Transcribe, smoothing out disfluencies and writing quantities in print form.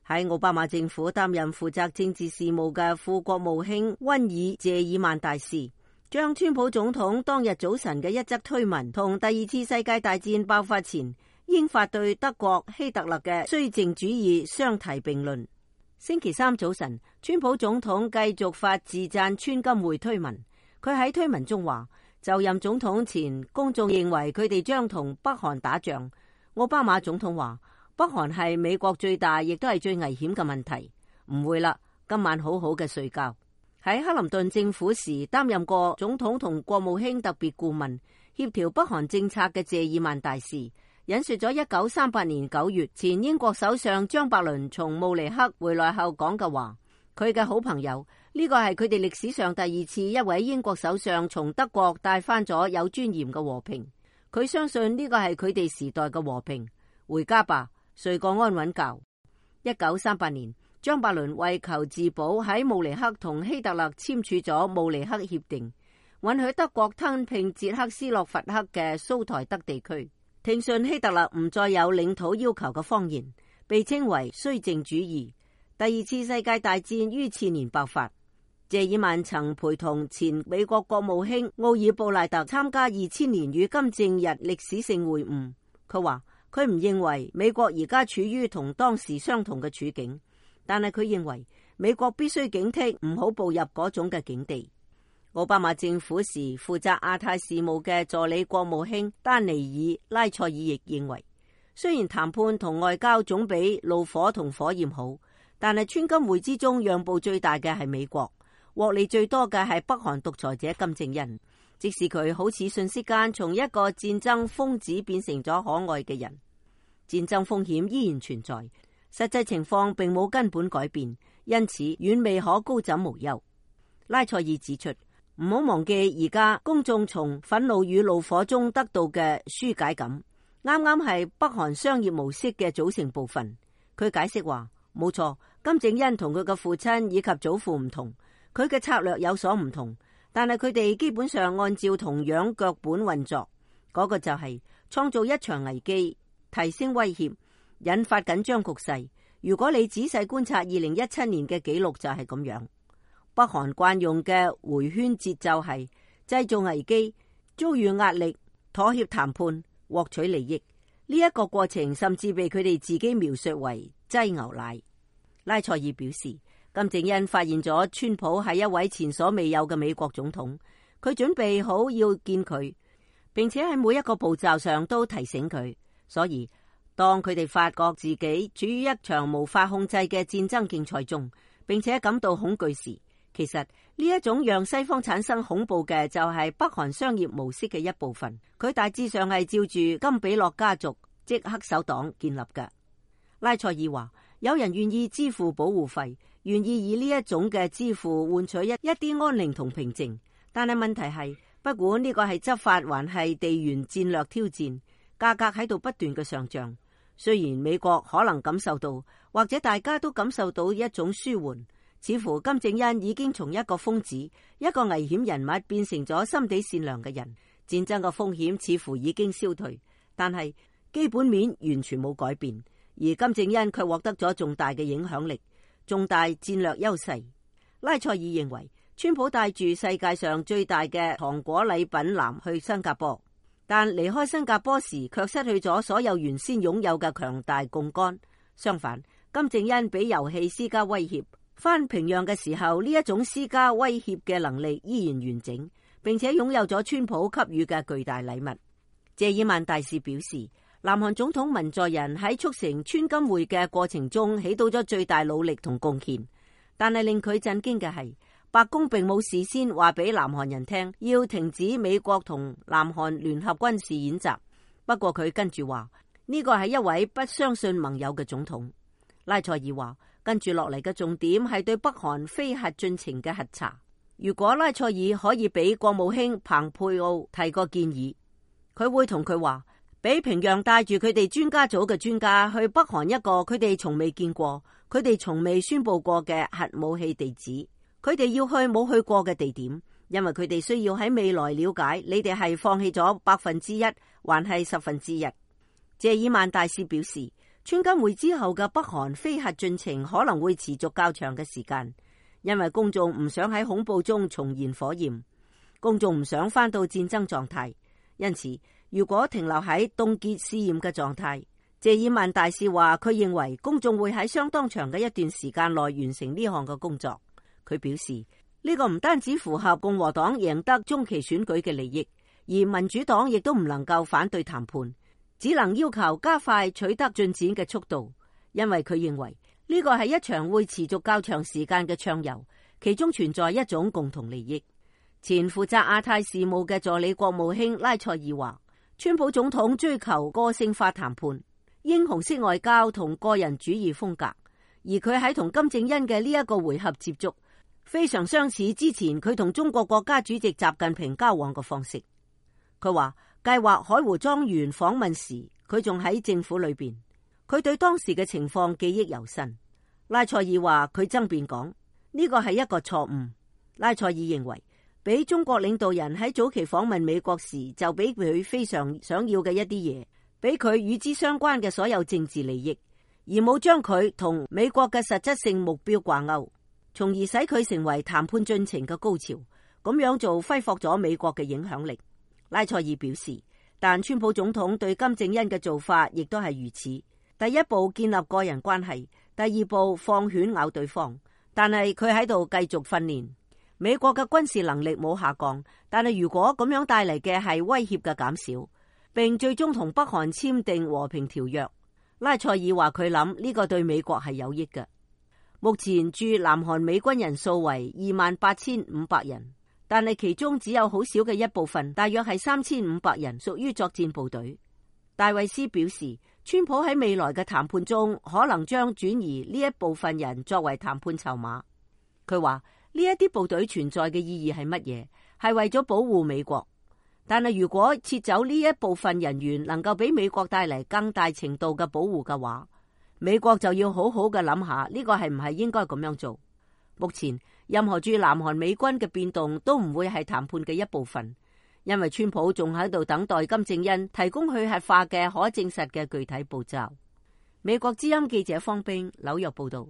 喺奧巴馬政府擔任負責政治事務嘅副國務卿溫爾謝爾曼大使，將川普總統當日早晨嘅一則推文同第二次世界大戰爆發前英法對德國希特勒嘅綏靖主義相提並論。星期三早晨，川普總統繼續發自讚川金會推文。佢喺推文中話，就任總統前，公眾認為佢哋將同北韓打仗。奧巴馬總統話，北韓係美國最大亦都係最危險嘅問題。唔會啦，今晚好好嘅睡覺。喺克林頓政府時擔任過總統同國務卿特別顧問，協調北韓政策嘅謝爾曼大使引述咗1938年9月前英國首相張伯倫從慕尼黑回來後講嘅話。佢嘅好朋友，呢個係佢哋歷史上第二次一位英國首相從德國帶翻咗有尊嚴嘅和平。佢相信呢個係佢哋時代嘅和平。回家吧，睡個安穩覺。1938年，張伯倫為求自保喺慕尼黑同希特勒簽署咗慕尼黑協定，允許德國吞併捷克斯洛伐克嘅蘇台德地區，聽信希特勒唔再有領土要求嘅謊言，被稱為綏靖主義。第二次世界大戰於次年爆發。謝爾曼曾陪同前美國國務卿奧爾布賴特參加2000年與金正日歷史性會晤。佢話佢唔認為美國而家處於同當時相同嘅處境，但係佢認為美國必須警惕唔好步入嗰種嘅境地。奧巴馬政府時負責亞太事務嘅助理國務卿丹尼爾拉塞爾亦認為，雖然談判同外交總比怒火同火焰好，但係川金會之中讓步最大嘅係美國，獲利最多嘅係北韓獨裁者金正恩。即使佢好似瞬息間從一個戰爭瘋子變成咗可愛嘅人，戰爭風險依然存在，實際情況並冇根本改變，因此遠未可高枕無憂。拉塞爾指出，唔好忘記而家公眾從憤怒與怒火中得到嘅紓解感，啱啱係北韓商業模式嘅組成部分。佢解釋話，冇錯，金正恩同佢嘅父親以及祖父唔同，佢嘅策略有所唔同，但係佢哋基本上按照同樣腳本運作，嗰個就係創造一場危機，提升威脅，引發緊張局勢。如果你仔細觀察2017年嘅記錄就係咁樣。北韓慣用嘅回圈節奏係製造危機、遭遇壓力、妥協談判、獲取利益。呢一個過程甚至被佢哋自己描述為擠牛奶。拉塞爾表示，金正恩發現咗川普係一位前所未有嘅美國總統，佢準備好要見佢，並且喺每一個步驟上都提醒佢。所以當佢哋發覺自己處於一場無法控制嘅戰爭競賽中，並且感到恐懼時，其實呢一種讓西方產生恐怖嘅就係北韓商業模式嘅一部分。佢大致上係照住金比諾家族即黑手黨建立嘅。拉塞爾話，有人願意支付保護費，願意以呢一種嘅支付換取一啲安寧同平靜，但係問題係，不管呢個係執法還係地緣戰略挑戰，價格喺度不斷嘅上漲。雖然美國可能感受到，或者大家都感受到一種舒緩，似乎金正恩已經從一個瘋子、一個危險人物變成咗心地善良嘅人，戰爭嘅風險似乎已經消退，但係基本面完全冇改變，而金正恩卻獲得咗重大嘅影響力、重大戰略優勢。拉塞爾認為，川普帶住世界上最大嘅糖果禮品籃去新加坡，但離開新加坡時卻失去咗所有原先擁有嘅強大槓桿。相反，金正恩俾遊戲施加威脅，返平壤嘅時候，呢一種施加威脅嘅能力依然完整，並且擁有咗川普給予嘅巨大禮物。謝爾曼大使表示，南韓總統文在寅喺促成川金會嘅過程中起到咗最大努力同貢獻，但係令佢震驚嘅係，白宮並冇事先話俾南韓人聽要停止美國同南韓聯合軍事演習。不過佢跟住話，呢個係一位不相信盟友嘅總統。拉塞爾話，跟住落嚟嘅重點係對北韓非核進程嘅核查。如果拉塞爾可以俾國務卿蓬佩奧提個建議，佢會同佢話，俾平壤帶住佢哋專家組嘅專家去北韓一個佢哋從未見過、佢哋從未宣布過嘅核武器地址。佢哋要去冇去過嘅地點，因為佢哋需要喺未來了解你哋係放棄咗1%還係1/10%。謝爾曼大使表示，川金會之後嘅北韓非核進程可能會持續較長嘅時間，因為公眾唔想喺恐怖中重燃火焰，公眾唔想返到戰爭狀態。因此，如果停留喺凍結試驗嘅狀態，謝爾曼大使話佢認為公眾會喺相當長嘅一段時間內完成呢項嘅工作。佢表示呢個唔單止符合共和黨贏得中期選舉嘅利益，而民主黨亦都唔能夠反對談判，只能要求加快取得進展嘅速度，因為佢認為呢個係一場會持續較長時間嘅暢遊，其中存在一種共同利益。前負責亞太事務嘅助理國務卿拉塞爾話，川普總統追求個性化談判、英雄式外交同個人主義風格，而佢喺同金正恩嘅呢一個回合接觸，非常相似之前佢同中國國家主席習近平交往嘅方式。佢話計劃海湖莊園訪問時，佢仲喺政府裏邊，佢對當時嘅情況記憶猶新。拉塞爾話佢爭辯講呢個係一個錯誤。拉塞爾認為，俾中國領導人喺早期訪問美國時就俾佢非常想要嘅一啲嘢，俾佢與之相關嘅所有政治利益，而冇將佢同美國嘅實質性目標掛鈎，從而使佢成為談判進程嘅高潮。咁樣做揮霍咗美國嘅影響力。拉塞爾表示，但川普總統對金正恩嘅做法亦都係如此。第一步建立個人關係，第二步放犬咬對方。但係佢喺度繼續訓練。美國嘅軍事能力冇下降，但係如果咁樣帶嚟嘅係威脅嘅減少，並最終同北韓簽訂和平條約，拉塞爾話佢諗呢個對美國係有益嘅。目前駐南韓美軍人數為28,500人。但係其中只有好少嘅一部分，大約係3500人屬於作戰部隊。戴維斯表示，川普喺未來嘅談判中可能將轉移呢一部分人作為談判籌碼。佢話呢一啲部隊存在嘅意義係乜嘢？係為咗保護美國。但係如果撤走呢一部分人員能夠俾美國帶嚟更大程度嘅保護嘅話，美國就要好好嘅諗下呢個係唔係應該咁樣做。目前任何駐南韓美軍嘅變動都唔會係談判嘅一部分，因為川普仲喺度等待金正恩提供去核化嘅可證實嘅具體步驟。美國之音記者方冰紐約報道。